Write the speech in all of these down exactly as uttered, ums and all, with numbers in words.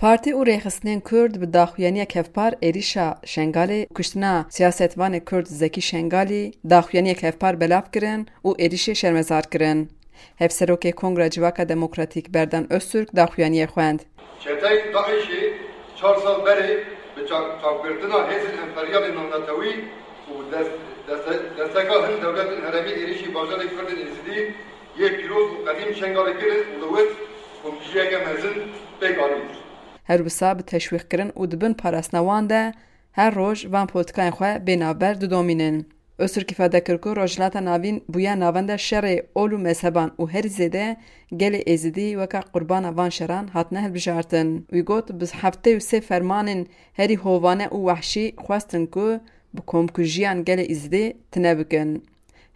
Partî û rêxistinên Kurd bi daxuyaniyek hevpar êrîşa Şengalê, kuştina siyasetvanê Kurd Zekî Şengalî, daxuyaniyek hevpar belav kirin û êrîşê şermezar kirin. Hevserokê Kongra Civaka Demokratîk Berdan Öztürk daxuyaniyê xwend. Çeteyên DAIŞê çar sal berê bi çav-, çavgirtina hêzên emperyalên navnetewî û des-, deste-, desteka hin dewletên herêmî êrîşî bajarê Kurdên Êzidî yê pîroz û qedîm Şengalê kirin û li wir komkujiyeke mezin pêk anîn. Her wisa bi teşwîqkirin û di bin parastina wan de her roj van polîtikayên xwe bê navber didomînin. Öztürk îfade kir ku Rojhilata Navîn bûye navenda şerê ol û mezheban û herî zêde gelê Êzidî weke qurbana van şeran hatine hilbijartin. Wî got, bi heftê û sê fermanên herî hovane û wehşî xwestin ku bi komkujiyan gelê Êzidî tune bikin.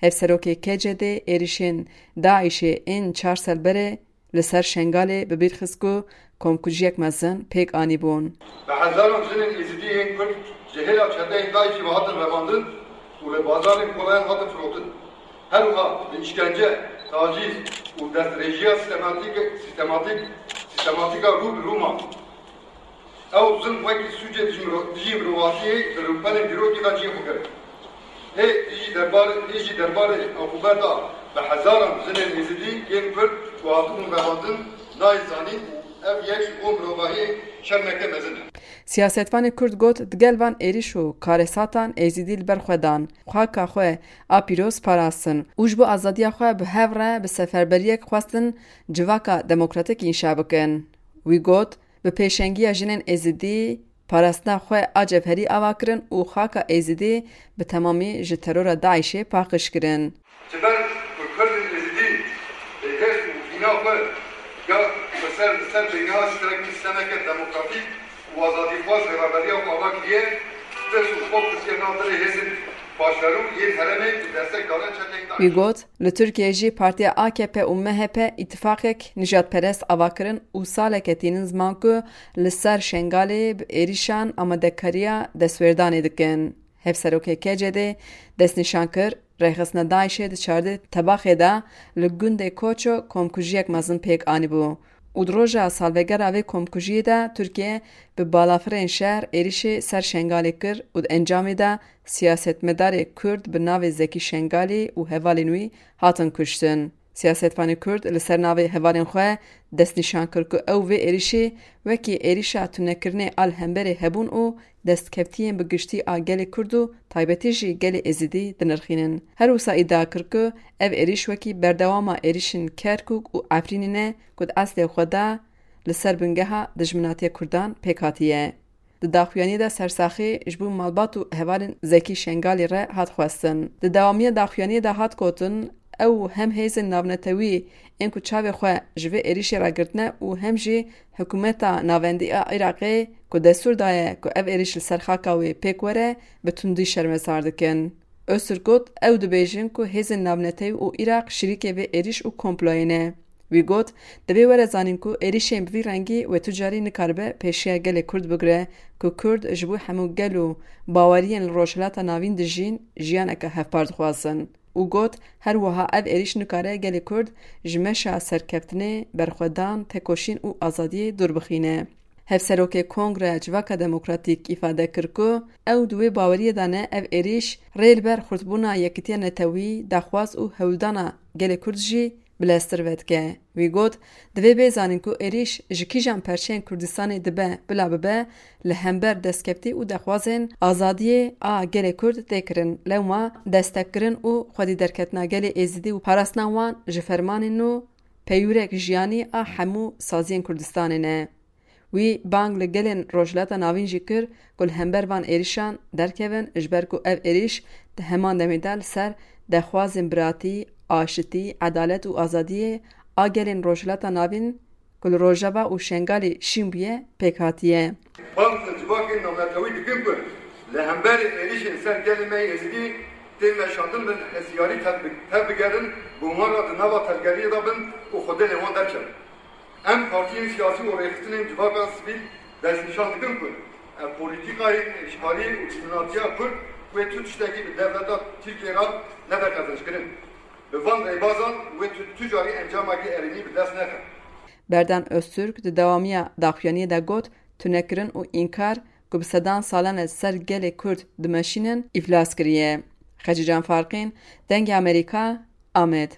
Hevserokê K C D êrîşên DAIŞê ên çar sal berê li ser Şengalê bi bîr xist ku komkujiyek mezin pêk anîbûn. Bi hezaran jinên Êzidî yên Kurd ji hêla çeteyên DAIŞê ve hatin revandin û li bazarên kolayan hatin firotin. Her wiha bi îşkence, tacîz û destdirêjiya sîstematîk, sîstematîk, sîstematîk a rû bi rû man. Ew zilm wekî sûcê dijî miro-, dijî mirovatiyê di rûpelên dîrokê de cihê xwe girt. Hê jî derbarê, hê jî derbarê uqûbeta bi hezaran jinên Êzidî yên Kurd ku hatibûn revandin nayê zanîn û ev yek ji bo mirovahiyê şermeke mezin e. Siyasetvanê Kurd got, digel van êrîş û karesatan Êzidî li ber xwe dan, xaka xwe a pîroz parastin û ji bo azadiya xwe bi hev re bi seferberiyek xwestin civaka demokratîk înşa bikin. Wî got, bi pêşengiya jinên Êzidî parastina xwe a cevherî ava kirin û xaka Êzidî bi temamî ji terora DAIŞê paqij kirin. Ji ber ku Kurdên Êzidî hêz û hîna xwe ya xweser li ser bingeha sîstemeke, sîstemeke demokratîk û azadîxwaz rêveberiya xwe ava kiriye, tirs û xewf ketiye nav dilê hêzên paşverû yên herêmê ku destek dane çeteyên DAIŞ. Wî got, li Tirkiyeyê jî partiya A K P û M H P îtifaqek nijadperest ava kirin û saleke tînin ziman ku li ser Şengalê bi êrîşan amadekariya destwêrdanê dikin. Hevserokê K C D destnîşan kir, rêxistina DAIŞê di çardeh Tebaxê de li gundê Koço komkujiyek mezin pêk anîbû û di roja salvegera vê komkujiyê de Tirkiye bi balafirên şer êrîşê ser Şengalê kir û di encamê de siyasetmedarê Kurd bi navê Zekî Şengalî û hevalên wî hatin kuştin. Siyasetvanê Kurd li ser navê hevalên xwe destnîşan kir ku ew vê êrîşê wekî êrîşa tunekirinê a li hemberê hebûn û destkeftiyên bi giştî a gelê Kurd û taybetî jî gelê Êzidî dinirxînin. Her wisa îdia kir ku ev êrîş wekî berdewama êrîşên Kerkûk û Efrînê ne ku di eslê xwe de li ser bingeha dijminatiya Kurdan pêk hatiye. Di daxuyaniyê de sersaxî ji bo malbat û hevalên Zekî Şengalî re hat xwestin. Di dewamiya daxuyaniyê de hat gotin, ew hem hêzên navnetewî ên ku çavê xwe ji vê êrîşê re girtine û hem jî hikûmeta navendî a Iraqê ku destûr daye ku ev êrîş li ser xaka wê pêk were, bi tundî şermezar dikin. Öztürk got, ew dibêjin ku hêzên navnetewî û Iraq şirîkê vê êrîş û komployê ne. Wî got, divê were zanîn ku êrîşên bi vî rengî wê tu carî nikaribe pêşiya gelê Kurd bigire ku Kurd ji bo hemû gel û baweriyên li Rojhilata Navîn dijîn jiyaneke hevpar dixwazin. Û got, her wiha ev êrîş nikare gelê Kurd ji meşa serkeftinê, berxwedan, tekoşîn û azadiyê dûr bixîne. Hevserokê Kongreya Civaka Demokratîk îfade kir ku ew di wê baweriyê de ne ev êrîş rê li ber xurtbûna yekîtiya netewî, daxwaz û hewldana gelê Kurd jî bileztir vedike. Wî got, divê bê zanîn ku êrîş ji kîjan perçeyên Kurdistanê dibe bila bibe, li hember destkeftî û daxwazên azadiyê a gelê Kurd tê kirin, lewma destekkirin û xwedî derketina gelê Êzidî û parastina wan ji fermanên nû peywirek jiyanî a hemû saziyên Kurdistanê ne. Wî bang li gelên Rojhilata Navîn jî kir ku li hember van êrîşan derkevin, ji ber ku ev êrîş di heman demê de li ser daxwazên biratî, aşitî, edalet û azadiyê a gelên Rojhilata Navîn ku li Rojava û Şengalê şîn bûye, pêk hatiye. Bang li civakên navnetewî dikin ku li hemberî êrîşên ser gelê me yê Êzidî tên meşandin bin hestiyarî tev-, tevbigerin, bi wan re di nava tevgeriyê de bin û xwe dilê wan derkevin. Em partiyên siyasî û rêxistinên civaka sivîl destnîşan dikin ku ev polîtîkayên îşxalî û dijminatiya Kurd wê tu tiştekî bi dewleta Tirkiyê re nebe qezenckirin. Bi van rêbazan wê tu, tu carî encamekî erênî bi dest nexe. Berdan Öztürk di dewamiya daxuyaniyê de got, tunekirin û înkar ku bi sedan salan e ser gelê Kurd dimeşînin, îflas kiriye. Xecîcan Farqîn, Dengê Amerîka, Amed.